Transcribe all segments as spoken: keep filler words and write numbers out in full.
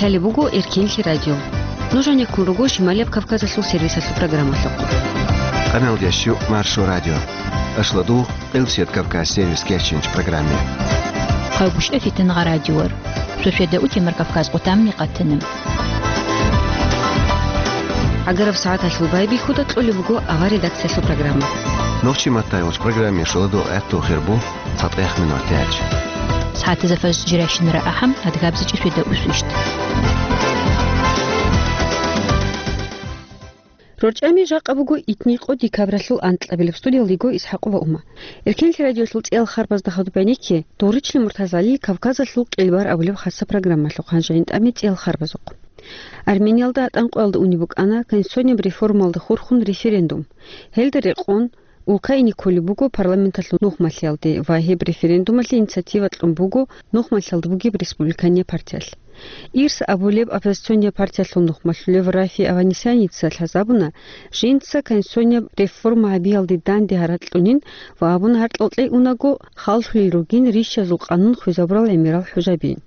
Лъалеб буго Эркенлъи радио. Нуж гьанеккун руго Шималияб Кавказалъул сервисалъул программалъухъ. Къаналдящу Маршо радио. Ашладу Къилсият Кавказ сервис керчинч программе. Хъайгуща фитин гъа радиор. Шошеда утемар Кавказ къутамни къатана. Агараб сагӀаталъул байбихьуда кьолеб буго авар редакциялъул программа. Нохчи маттай уч программе шоладу гӀатту хирбу. ЦатӀех минутач. СагӀатазда фажр жирайщинара ахӀам, адгабзичӀи шведа усвищт. РорчӀами жакъа буго итни къо декабралъул анкьабилеб. Студиялда йиго ИсхӀакъова Ума. Эркенлъи радиолъул цӀиял харбазда хадуб гӀенекке, Доричли Муртазалил Кавказалъул къилбар абулеб хасса программалъухъ гьанже гӀинтӀаме цӀиял харбазухъ. Армениялда гьатӀан къоялда унеб букӀана конституцияб реформалда хурхун референдум. Гьелда рекъон, улка ине кколеб буго парламенталъул нухмалъиялде ва гьеб референдумалъе инициатива кьун буго нухмалъиялда бугеб республикания партиялъ. Ирс абулеб оппозициония партиялъул нухмалъулев Рафи Аванесяница лъазабуна, жинца конституционияб реформа гьабиялде данде гьаракь кьунин ва абуна гьаркьал кьей унаго халлъулел ругин рищазул къанун хвезабурал гӀемерал хӀужабин.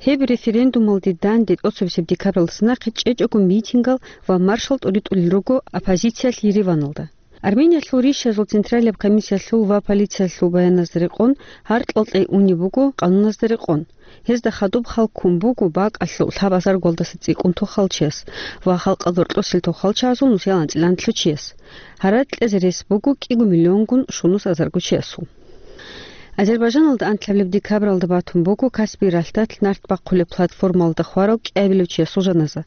Гьеб референдумалде данде тӀоцебесеб декабралдаса нахъе чӀечӀого митингал ва маршал тӀуритӀулел руго оппозициялъ Ереваналда. Армениялъул рищазул централияб комиссиялъул ва полициялъул баяназда рекъон, гьаркьал кьей унеб буго къануназда рекъон. Гьезда хадуб хал ккун буго бакӀалъул лъабазаргуялдаса цӀикӀкӀун тохалчияс ва халкъалда гьоркьосел тохалчагӀазул нусиялда анцӀила анлъучияс. Гьаракь кьезе рес буго кӀиго миллионгун щунус азаргучиясул. Азербайжаналда анкьабилеб декабралда батун буго Каспий ралъдалъ нарт бахъулеб платформалда хварав кӀиабилев чиясул жаназа.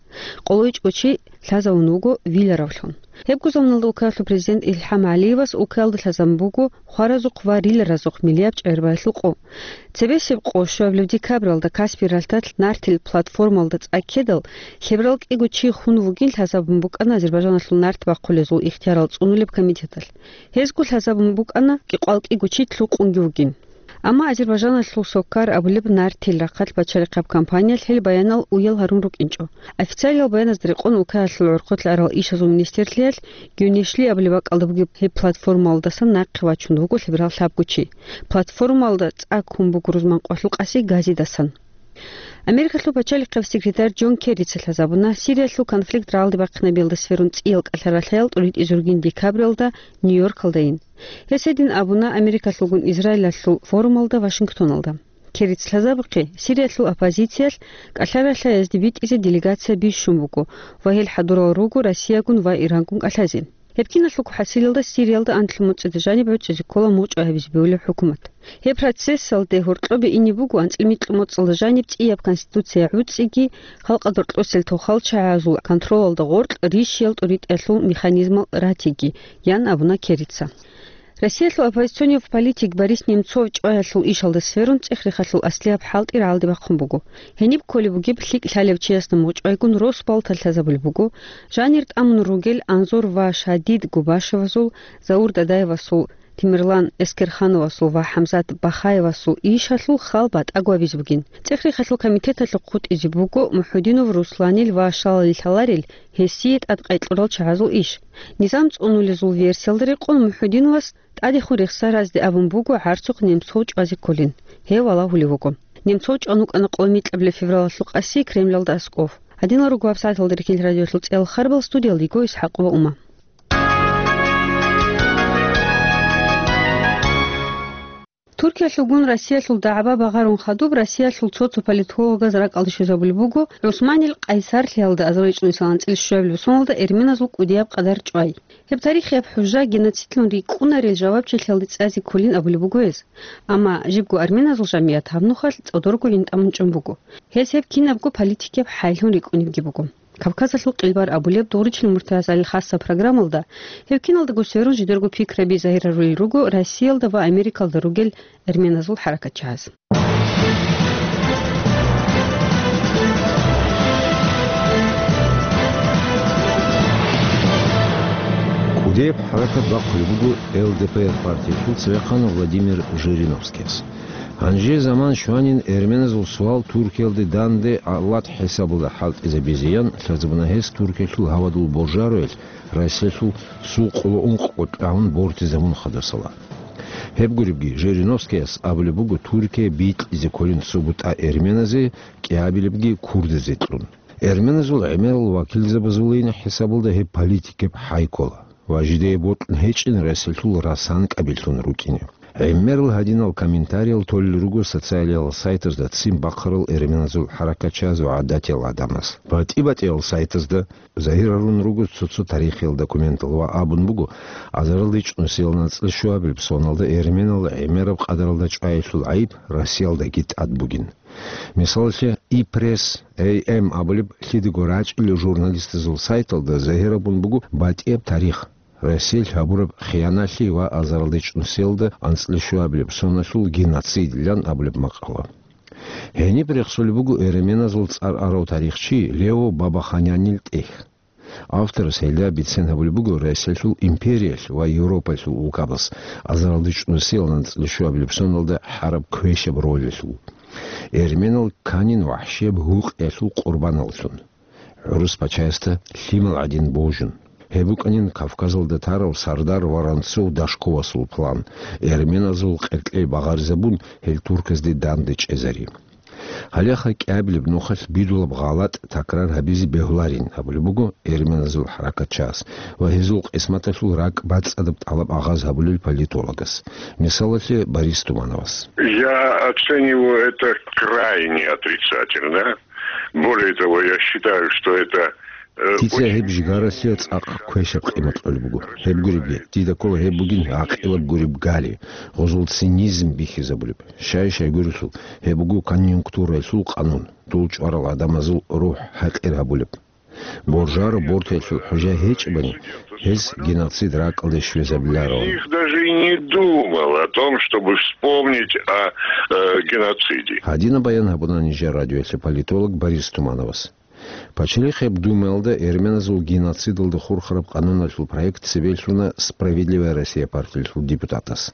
Къоло ичӀго чи лъазавун вуго виларавлъун. Гьебго заманалда Украиналъул президент Илхам ГӀалиевас Украиналда лъазабун буго хваразухъ ва риларазухъ миллияб чӀегӀербаялъул къо. Цебесеб къо щуабилеб декабралда Каспий ралъдалъ нартил платформалда цӀа ккедал, лъеберал кӀиго чи хун вугин лъазабун букӀана Азербайжаналъул нарт бахъулезул ихтиярал цӀунулеб комитеталъ. Гьезго лъазабун букӀана кӀикъоялда кӀиго чи лъукъунги вугин. Амма Азербайжаналъул Соккар абулеб нартил рахъалъ бачарихъаб компаниялъ гьел баянал уял гьарун рукӀинчӀо. Официалиял баяназда рекъон Украиналъул гӀорхъолъ арал ишазул министрлъиялъ Гюнешли абулеб бакӀалда бугеб гьеб платформалдасан нахъе вачун вуго лъеберал лъабго чи. Платформалда цӀа ккун буго рузман къоялъул къаси газидасан. Америкалъул пачалихъаб секретарь Джон Керрица лъазабуна Сириялъул конфликт рагӀалде бахъинабиялда сверун цӀиял кӀалъа-ралъаял тӀуритӀизургин декабралда Нью-Йоркалдайин. Гьес гьедин абуна Америкалъулгун Израилалъул форумалда Вашингтоналда. Керрица лъазабухъе, Сириялъул оппозициялъ кӀалъа-ралъаязде битӀизе делегация бищун буго ва гьел хӀадурал руго Россиягун ва Ирангун кӀалъазе. Гьеб киналъулго хӀасилалда Сириялда анлъго моцӀида жаниб гӀуцӀизе ккола мугъчӀвай гьабизе бегьулеб хӀукумат. Гьеб процессалде гьоркьобе ине буго анцӀила микьго моцӀалда жаниб цӀияб конституция гӀуцӀиги, халкъалда гьоркьосел тохалчагӀазул контролалда гъоркь рищиял тӀуритӀиялъул механизмал ратиги, ян абуна Керрица. Россиялъул оппозиционный политик Борис Немцов чӀваялъул ишалда сверун цӀех-рехалъул аслияб хӀалтӀи рагӀалде бахъун буго. Гьениб кколеб бугеб лъикӀ лъалев чиясда мугъчӀвайгун рос балталъ лъазабулеб буго, жанир тӀамун ругел Анзор ва Шадид Губашевазул, Заур Дадаевасул, Темирлан Эскерхановасул ва ХӀамзат Бахаевасул ишалъул хал батӀаго гьабизе бугин. ЦӀех-рехалъул комитеталъухъ хутӀизе буго МухӀудинов Русланил ва щалалил лъаларел гьесие тӀадкъай кьурал чагӀазул иш. Низам цӀунулезул версиялда рекъон МухӀудиновас тӀадехун рехсаразде абун буго гӀарцухъ Немцов чӀвазе кколин. Гьев валагьулев вуго. Немцов чӀван вукӀана къо микьабилеб февралалъул къаси Кремлалда аскӀов. Гьадинал руго гьабсагӀаталда Эркенлъи радиолъул цӀиял харбал, студиялда йиго ИсхӀакъова Ума. Туркиялъулгун Россиялъул дагӀба багъарун хадуб Россиялъул цо-цо политологаз ракӀалде щвезабулеб буго ГӀусманил къайсарлъиялда азарилчӀун исал анцӀила щуабилеб соналда эрменазул кӀудияб къадар чӀвай. Гьеб тарихияб хӀужа геноцидлъун рикӀкӀунарел жавабчилъиялде цӀазе кколин абулеб буго гьез. Амма жибго арменазул жамият гьаб нухалъ цӀодорго гӀинтӀамун чӀун буго. Гьез гьеб кинабго политикияб хӀайлъун рикӀкӀунебги буго. Кавказалъул къилбар абулеб Доричли Муртазалил хасса программалда гьеб киналдаго сверун жидерго пикраби загьирарулел руго Россиялда ва Америкалда ругел эрменазул хӀаракатчагӀаз. КӀудияб хӀаракат бахъулеб буго Л Д П Р партиялъул цевехъан Владимир Жириновскияс. Гьанже заман щванин эрменазул суал Туркиялде данде гӀалат хӀисабалда хӀалтӀизабизе ян лъазабуна гьес Туркиялъул гьавадул божаруялъ Россиялъул сул къоло ункъго тӀагӀун бортизабун хадасала. Гьеб гуребги, Жириновскияс абулеб буго Туркия бикьизе кколин цо бутӀа эрменазе, кӀиабилебги курдазе кьун. Эрменазул гӀемерал вакилзабазулин хӀисабалда гьеб политикаб хӀай ккола ва жидее бокьун гьечӀин ресалъул расан кӀабиллъун рукӀине. ГӀемерал гьадинал комментариял толел руго социалиял сайтазда ццин бахъарал эрменазул хӀаракатчияз ва гӀадатиял гӀадамаз. БатӀи-батӀиял сайтазда загьир гьарун руго цо-цо тарихиял документал ва абун буго, азаралда ичӀнусиял нацӀила щуабилеб соналда эрменал гӀемераб къадаралда чӀваялъул гӀайиб Россиялдаги тӀад бугин. Мисалалъе, Ипресс эй эм абулеб лъидаго рачӀунел журналистазул сайталда загьир гьабун буго батӀияб тарих, Россиялъ гьабураб хияналъи ва азаралда ичӀнусиялда анцӀила щуабилеб соналъул геноцидилан абулеб макъала. Гьениб рехсолеб буго эрменазул цӀар арав тарихчи Лео Бабаханянил тӀехь. Авторас гьелда бицен гьабулеб буго Россиялъул империялъ ва Европаялъул улкабаз азаралда ичӀнусиял анцӀила щуабилеб соналда гьараб квешаб ролалъул, эрменал кканин вахӀшияб гьукъиялъул къурбаналлъун, гӀурус пачаясда лъимал гӀадин божун. Гьеб букӀанин Кавказалда тарав сардар Воронцов-Дашковасул план, эрменазул къеркьей багъаризабун, гьел турказде данде чӀезари. Гьалеха кӀиабилеб нухалъ бидулаб гъалатӀ такрар гьабизе бегьуларин абулеб буго эрменазул хӀаракатчияс ва гьезул къисматалъул ракӀ бацӀцӀадаб тӀалаб агъаз гьабулел политологас, мисалалъе, Борис Тумановас. Я оцениваю это крайне отрицательно. Более того, я считаю, что это, э, Дица очень гьеб жигаралъе цӀакъ квешаб къимат кьолеб буго. Гьеб гуребги, дида ккола гьеб бугин гӀакъилаб гуреб гали, гъозул цинизм бихьизабулеб. Щай-щай гурелъул, гьеб буго конъюнктуралъул къанун, дул чӀварал гӀадамазул рухӀ хӀакъир гьабулеб. Боржаро бортаялъул хӀужа гьечӀебани, гьез геноцид ракӀалде щвезабиларо. Из них даже и не думал о том, чтобы вспомнить о, э, геноциде. Гьадинаб баян гьабуна нижер радиоялъе политолог Борис Тумановас. Пачалихъ гьеб Думаялда эрменазул геноцидалда хурхараб къануналъул проект цебе лъуна «Справедливая Россия» партиялъул депутатас.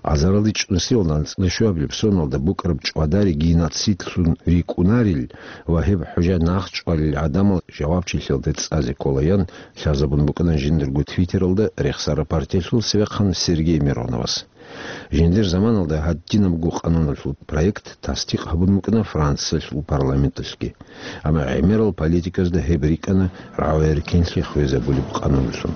Азаралда ичӀнусиял анцӀила щуабилеб соналда букӀараб чӀвадари геноцидлъун рикӀкӀунарил ва гьеб хӀужа нахъ чӀвалел гӀадамал жавабчилъиялде цӀазе кколаян лъазабун букӀана жиндирго Твиттералда рехсараб партиялъул цевехъан Сергей Мироновас. Жиндир заманалда гьадинабго къануналъул проект тасдикъ гьабун букӀана Франциялъул парламенталъги. Амма гӀемерал политиказда гьеб рикӀкӀана рагӀуи-рикӀкӀинлъи хвезабулеб къануналъун.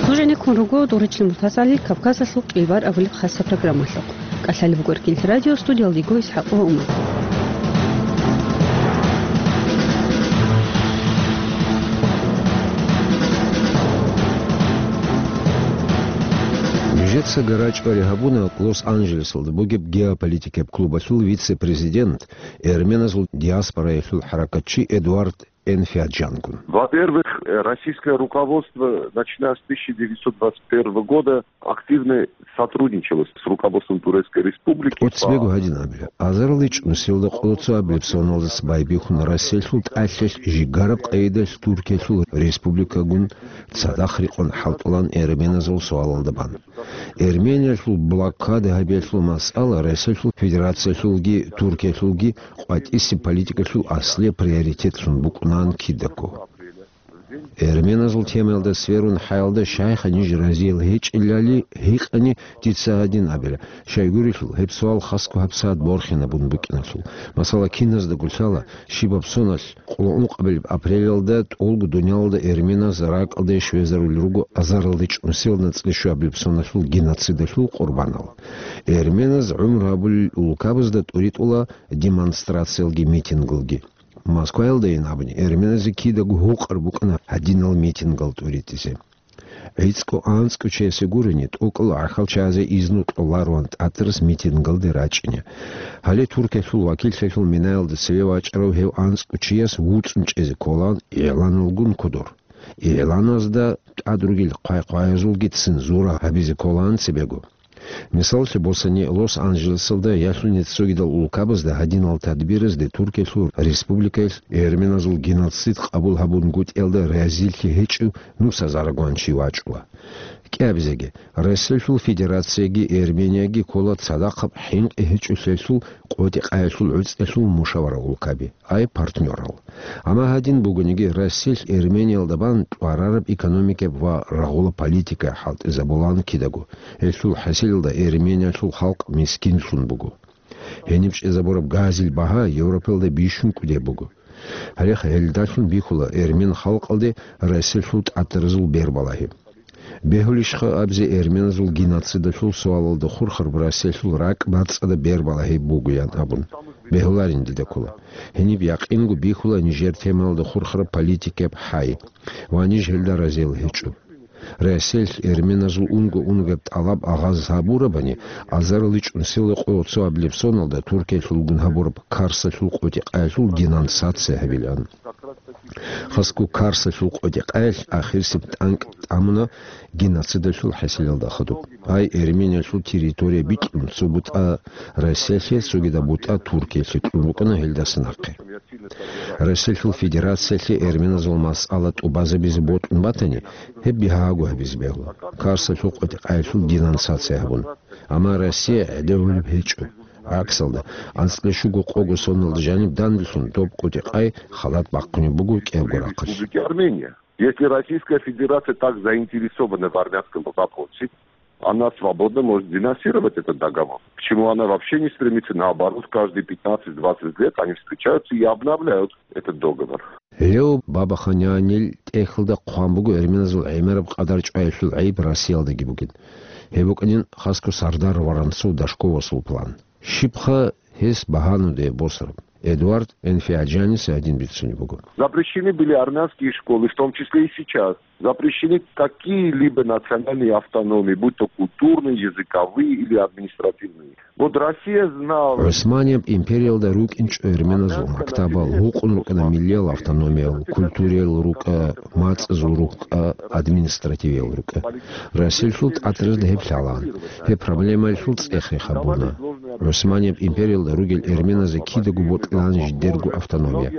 Нуж гӀенеккун руго дургьичин мутацӀали Кавказалъул кӀилбар абулеб хасаб программалъухъ. КӀалъалеб буго Иркин радио, студиялда йиго ИсхӀакъ ва Умар. Нижеца гарачӀбари гьабуна Лос-Анджелесалда бугеб геополитикаб клубалъул вице-президент, эрменазул диаспораялъул хӀаракатчи Эдуард Энфиаджангун. Во-первых, э, российское руководство, начиная с тысяча девятьсот двадцать первого года, активно сотрудничало с руководством Турецкой Республики. ТӀоцебего гьадин абила, азаралда ичӀнусиялда къоло цоабилеб соналдаса байбихьун Россиялъул тӀалъалъ жигараб къайдалъ Туркиялъул республикагун цадахъ рекъон хӀалтӀулаан эрменазул суалалда бан. Эрмениялъул блокада гьабиялъул масъала Россиялъул Федерациялъулги Туркиялъулги къватӀисеб политикалъул аслияб приоритетлъун букӀунаан кидаго. Эрменазул темаялда сверун хӀаялда, щайха ниж разиял гьечӀелали гьикъани, дица гьадин абила, щайгурелъул гьеб суал хасго гьабсагӀат борхинабун букӀиналъул. Масала, киназдаго лъала, щибаб соналъ къоло ункъабилеб апрелалда тӀолго дуниялалда эрменаз ракӀалде щвезарулел руго азаралда ичӀнусиял анцӀила щуабилеб соналъул геноцидалъул къурбанал. Эрменаз гӀумру гьабулел улкабазда тӀуритӀула демонстрациялги митингалги. Москваялдайин абуни, эрменазе кидаго гьукъар букӀана гьадинал митингал тӀуритӀизе. ГӀицӀго-анцӀго чиясе гурони, тӀокӀал гӀахьалчагӀазе изну кьолароан тӀатарас митингалде рачӀине. Гьале Туркиялъул вакиллъиялъул минаялда цеве вачӀарав гьев анцӀго чияс вуцӀцӀун чӀезе кколаан игӀланалгун кодор. ИгӀланазда тӀад ругел хъвай-хъваязулги цензура гьабизе кколаан цебего. Мисаллъи босани, Лос-Анджелесалда ялъуни цогидал улкабазда гьадинал тадбиразде Туркиялъул республикаялъ эрменазул геноцид къабул гьабунгутӀиялда разилъи гьечӀев нусазарагван чи вачӀула. КӀиабизеги, Россиялъул Федерацияги Эрменияги ккола цадахъаб хӀинкъи гьечӀолъиялъул къотӀи-къаялъул гӀуцӀиялъул мушавара улкаби, ай партнёрал. Амма гьадин бугониги, Россиялъ Эрмениялда бан чӀварараб экономикаяб ва рагъула политика хӀалтӀизабулаан кидаго. Гьелъул хӀасилалда Эрмениялъул халкъ мискинлъун буго. Гьениб чӀезабураб газил багьа Европаялда бищун кӀудеб буго. Гьале гьелдалъун бихьула эрмен халкъалде Россиялъул тӀатаразул бербалагьи. Бегьулищха абизе эрменазул геноцидалъул суалалда хурхараб Россиялъул ракӀ бацӀцӀадаб бербалагьи бугоян абун? Бегьуларин дида ккола. Гьениб якъинго бихьула нижер темаялда хурхараб политикаяб хӀай, ва ниж гьелда разиял гьечӀо. Россиялъ эрменазул унго-унгояб тӀалаб агъаз гьабурабани, азариличӀун сила къо цоабилеб соналда Туркиялъулгун гьабураб Карсалъул къотӀи-къаялъул денонсация гьабилаан. Хасго Карсалъул къотӀи-къаялъ ахирисеб тӀанкӀ тӀамуна геноцидалъул хӀасилалда хадуб. Ай Эрмениялъул территория бикьун, цо бутӀа Россиялъе, цогидаб бутӀа Туркиялъе кьун рукӀана гьелдаса нахъе. Россиялъул Федерациялъе эрменазул масъала тӀубазабизе бокьун батани, гьеб бигьаго гьабизе бегьула, Карсалъул къотӀи-къаялъул денонсация гьабун. Амма Россия гӀедегӀулеб гьечӀо. ГӀаксалда, анцӀила щуго къого соналда жаниб данделъун доб къотӀи-къай халат бахъунеб буго кӀиябго рахъалъ. Республики Армения. Если Российская Федерация так заинтересована в армянском вопросе, она свободно может денонсировать этот договор. Почему она вообще не стремится, наоборот, каждые пятнадцать-двадцать лет они встречаются и обновляют этот договор. Гьев Бабаханян тӀехьалда хъван буго эрменазул гӀемераб къадар чӀваялъул гӀайиб Россиялдаги бугин. Гьеб букӀанин хасго Сардар Воронцов-Дашковасул план. Щибха гьес багьанудей босараб? Эдуард Энфиаджаниса гьадин бицунеб буго. Запрещены были армянские школы, в том числе и сейчас. Запрещены какие-либо национальные автономии, будь то культурные, языковые или административные. Вот Россия знала. ГӀусманияб империялда рукӀинчӀо эрменазул мактабал гьукъун рукӀана миллиял автономиял, культуриял рукӀа, мацӀазул рукӀа, административиял рукӀа. Россиялъул тӀатаразда гьеб лъалаан. Гьеб проблемаялъул цӀех-рех гьабуна. ГӀусманияб империялда ругел эрменазе кидаго бокьилаан жидерго автономия.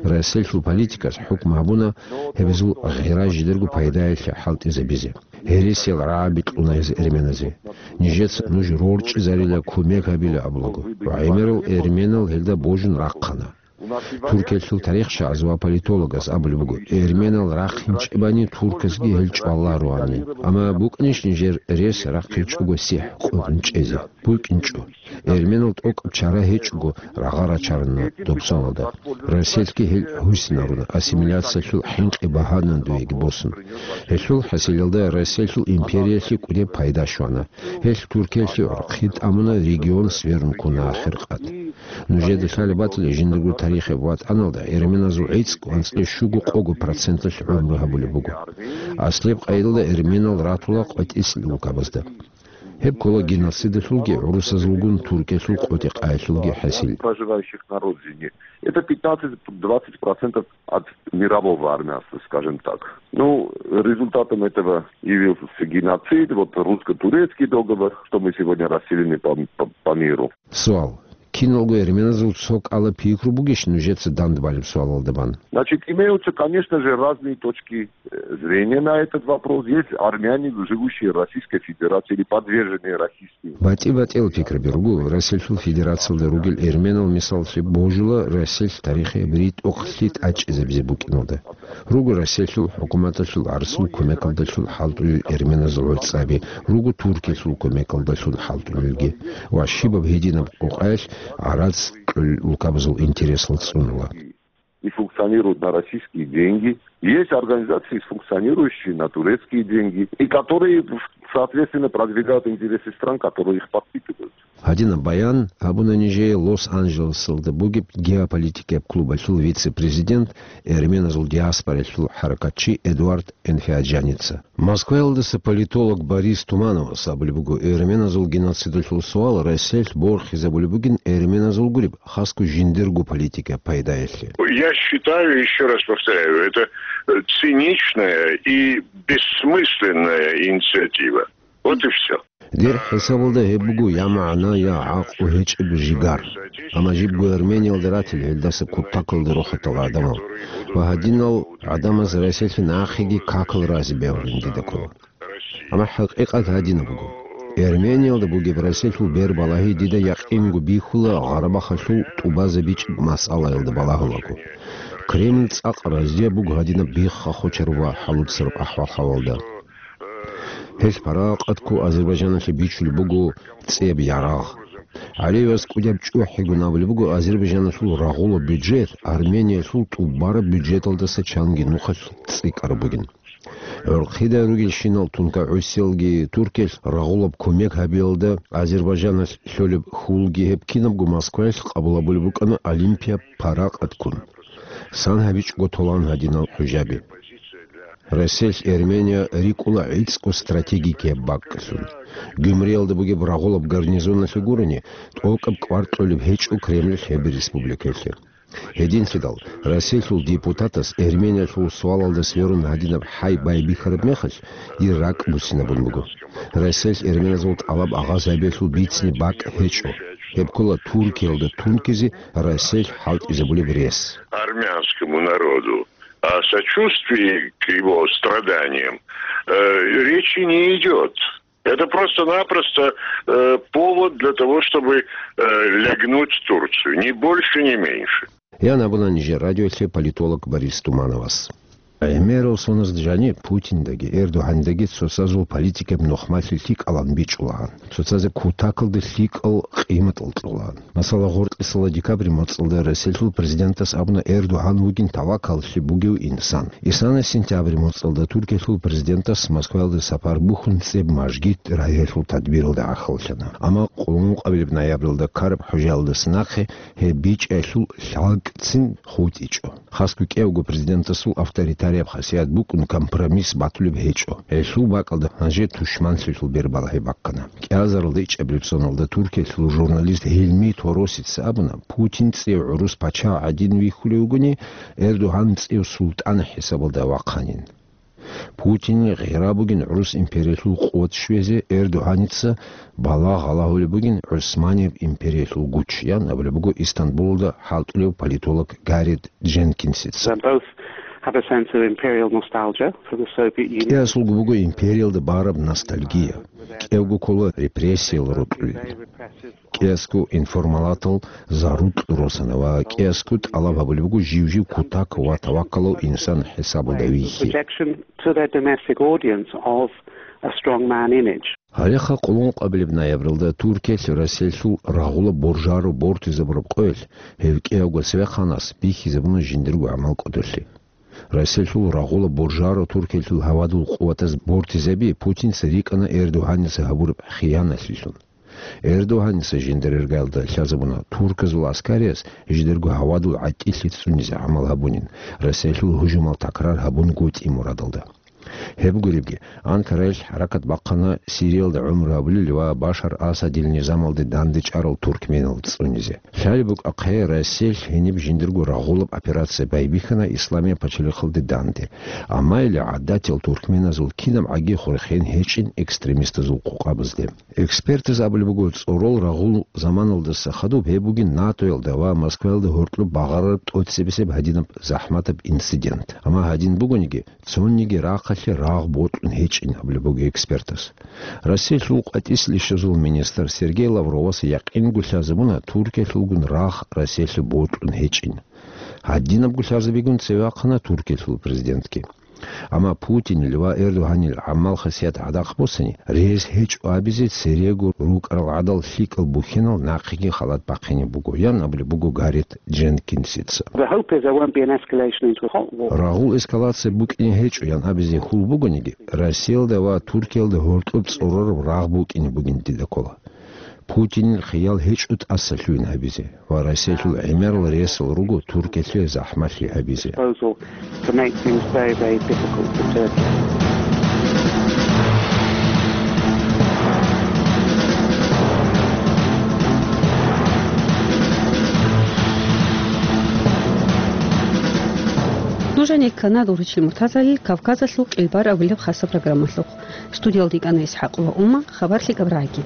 Россиялъул политикас хӀукму гьабуна гьебазул гъира жидерго пайдаялъе хӀалтӀизабизе. Гьересиял рагӀаби кьуна гьез эрменазе. Нижеца нуж рорчӀизарила, кумек гьабила абулаго. Ва гӀемерал эрменал гьелда божун рахъана. Туркиялъул тарихчияз ва политологаз абулеб буго, эрменал рахъинчӀебани турказги гьел чӀвалароани. Амма букӀанищ нижер рес рахъинчӀого сихӀ къотӀун чӀезе? БукӀинчӀо. Эрменал тӀокӀаб чара гьечӀого рагъа рачарана доб соналда. Россиялъги гьел гьусинаруна, ассимиляциялъул хӀинкъи багьанан дуеги босун. Гьелъул хӀасилалда Россиялъул империялъе кӀудеб пайда щвана. Гьелъ Туркиялъе гӀурхъи тӀамуна, регион сверун ккуна ахиркъад. Нужеда лъалеб батила жиндирго тарихияб ватӀаналда эрменазул гӀицӀго анцӀила щуго къого проценталъ гӀумру гьабулеб буго. Аслияб къайдалда эрменал ратула къватӀислъи улкабазда. Гьеб ккола геноцидалъулги гӀурусазулгун Туркиялъул къотӀи-къаялъулги хӀасил. Проживающих на родине. Это пятнадцать-двадцать процентов от мирового армянства, скажем так. Ну, результатом этого явился геноцид, вот русско-турецкий договор, что мы сегодня расселены по, по, по миру. Суал. Киналго эрменазул цо кӀала пикру бугищ нужеца дандбалеб суалалда бан? Значит, имеются, конечно же, разные точки э, зрения на этот вопрос. Есть армяне, живущие в Российской Федерации или подверженные расистским. БатӀи-батӀиял пикраби руго Россиялъул Федерациялда ругел эрменал, мисаллъи божула Россиялъ тарихияб ритӀухълъи тӀачӀизабизе букӀиналда. Руго Россиялъул хӀукуматалъул гӀарсул кумекалдалъун хӀалтӀулел эрменазул гӀуцӀаби, руго Туркиялъул кумекалдалъун хӀалтӀулелги ва щибаб гьединаб къокъаялъ гӀарац кьолел улкабазул интересал цӀунула. И функционируют на российские деньги. Есть организации, функционирующие на турецкие деньги, и которые, соответственно, продвигают интересы стран, которые их подпитывают. Гьадинаб баян гьабуна нижее Лос-Анджелесалда бугеб геополитикияб клубалъул вице-президент, эрменазул диаспоралъул хӀаракатчи Эдуард Энфиаджаница. Москваялдаса политолог Борис Тумановас абулеб буго, эрменазул геноцидалъул суал Россиялъ борхизабулеб бугин эрменазул гуреб, хасго жиндирго политика пайдаялъе. Я считаю, еще раз повторяю, это э, циничная и бессмысленная инициатива. Вот и все. Дир хӀисабалда гьеб буго я магӀна, я гӀакълу гьечӀеб жигар. Амма жибго Армениялда ратил гьелдаса кутакалда рухӀатал гӀадамал. Ва гьадинал гӀадамаз Россиялъе нахъеги какал рази бегьулин дида ккола. Амма хӀакъикъат гьадинаб буго. Эрмениялда бугеб Расилъул бербалагьи дида якъинго бихьула Гъарабахалъул тӀубазабичӀеб масъалаялда балагьулаго. Кремль цӀакъ разияб буго гьадинаб бихха-хочараб ва хӀалуцараб ахӀвал-хӀалалда. Гьелъ паракъатго Азербайджаналъе бичулеб буго цӀияб ярагъ. ГӀалиевас кӀудияб чӀухӀигун абулеб буго, Азербайджаналъул рагъулаб бюджет Армениялъул тӀубараб бюджеталдаса чанги нухалъ цӀикӀкӀараб бугин. ГӀурхъидай ругелщинал тункагӀусиялги Туркиялъ рагъулаб кумек гьабиялда Азербайджаналъ лъолеб хьулги гьеб кинабго Москваялъ къабул гьабулеб букӀана Олимпияб паракъатккун. Сан гьабичӀого толан гьадинал хӀужаби. Расиялъ Эрмения рикӀкӀула гӀицӀго стратегикияб бакӀалъун. Гюмриялда бугеб рагъулаб гарнизоналъе гурони, тӀокӀаб кӀвар кьолеб гьечӀо Кремльалъ гьеб республикаялъе. Гьединлъидал, Расиялъул депутатас Эрмениялъул суалалда сверун гьадинаб хӀай байбихьараб мехалъ, дир ракӀ буцинабун буго. Расиялъ эрменазул тӀалаб агъаз гьабиялъул бицине бакӀ гьечӀо. Гьеб ккола Туркиялда тункизе Расиялъ хӀалтӀизабулеб рес. Армянскому народу, о сочувствии к его страданиям, э, речи не идет. Это просто-напросто, э, повод для того, чтобы, э, лягнуть Турцию. Ни больше, ни меньше. Ян абуна нижер радиолъе политолог Борис Тумановас. ГӀемерал соназ жаниб Путиндаги Эрдогьандаги цоцазул политикаб нухмалъи лъикӀалан бичӀчӀулаан. Цоцазе кутакалда лъикӀал къиматал кьолаан. Масала, гъоркьисала декабрь моцӀалда Расиялъул президентас абуна, Эрдогьан вугин тавакаллъи бугев инсан. Исана сентябрь моцӀалда Туркиялъул президентас Москваялда сапар бухьун цӀеб мажгит рагьиялъул тадбиралда гӀахьаллъана. Амма къулмукъабилеб ноябралда ккараб хӀужаялдаса нахъе гьеб бичӀчӀиялъул лъалкӀцин хутӀичӀо. Хасго кӀиявго президентасул авторитарияб хасият букӀун компромисс батулеб гьечӀо. Гьелъул бакӀалда гьанже тушманлъилъул бербалагьи баккана. КӀиазаралда ичӀабилеб соналда Туркиялъул журналист Гьилми Торосица абуна, Путин цӀив гӀурус пачагь гӀадин вихьулев вугони, Эрдогьан цӀив султӀан хӀисабалда вахъанин. Путинил гъира бугин гӀурус империялъул къуват щвезе, Эрдогьаница балагь гьалагьулеб бугин ГӀусманияб империялъул гуч, ян абулеб буго Истанбулалда хӀалтӀулев политолог Гаррет Дженкинсица. They both have a sense of imperial nostalgia for the Soviet Union. КӀиасулго буго империялда бараб ностальгия. КӀиявго ккола репрессиял рокьулин. КӀиасго информалатал зарукь росана ва кӀиасго тӀалаб гьабулеб буго жив-жив кутак ва тавакалав инсан хӀисабалда вихьи. Rejection to their domestic audience of a strong man image. Гьалеха къуллукъабилеб ноябралда Туркиялъ Россиялъул рагъула боржаро бортизабураб къоялъ гьев кӀиявго цевехъанас бихьизабуна жиндирго гӀамал кӀодолъи. Россиялъул рагъула боржаро Туркиялъул гьавадул къуватаз бортизаби Путинца рикӀкӀана Эрдогьаница гьабураб хияналъилъун. Эрдогьаница жиндир иргаялда лъазабуна турказул аскариялъ жидерго гьавадул гӀатӀилъи цӀунизе гӀамал гьабунин, Россиялъул гьужумал такрар гьабунгутӀи мурадалда. Гьеб гуребги, Анкараялъ хӀаракат бахъана Сириялда гӀумру гьабулел ва Башар Асадил низамалде дандечӀарал туркменал цӀунизе. Лъалеб букӀахъе, Россиялъ гьениб жиндирго рагъулаб операция байбихьана Исламияб пачалихъалде данде. Амма или гӀадатиял туркменазул кинабгӀаги хурхен гьечӀин экстремистазул къокъабазде. Экспертаз абулеб буго, цӀорол рагъул заманалдаса хадуб гьеб бугин НАТОялда ва Москваялда гьоркьоб багъарараб тӀоцебесеб гьадинаб захӀматаб инцидент. Амма гьадин бугониги, цониги рахъалъе рагъ бокьун гьечӀин абулеб буго экспертаз. Россиялъул къватӀислъи щвезул министр Сергей Лавровас якъинго лъазабуна Туркиялъулгун рагъ Россиялъе бокьун гьечӀин. Гьадинабго лъазабигун цеве вахъана Туркиялъул президентги. Амма Путинил ва Эрдогьанил гӀамал-хасият гӀадахъ босани, рес гьечӀо абизе церего рукӀарал гӀадал лъикӀал бухьинал нахъеги халат бахъине буго, ян абулеб буго Гаррет Дженкинсица. The hope is there won't be an escalation into a hot war. Рагъул эскалация букӀине гьечӀо, ян абизе хьул бугониги, Россиялда ва Туркиялда гьоркьоб цӀорораб рагъ букӀине бугин дида ккола. Путинил хиял гьечӀо тӀасалъугьин гьабизе ва Россиялъул гӀемерал ресал руго Туркиялъе захӀмалъи гьабизе. Proposal to make things very, very difficult for Turkey. Нуж гьанир ккана Дургьучил Муртазалил Кавказалъул кӀелбар абулеб хасаб программалъухъ. Студиялда йикӀана ИсхӀакъова Ума, хабар лъикӀаб рагӀаги.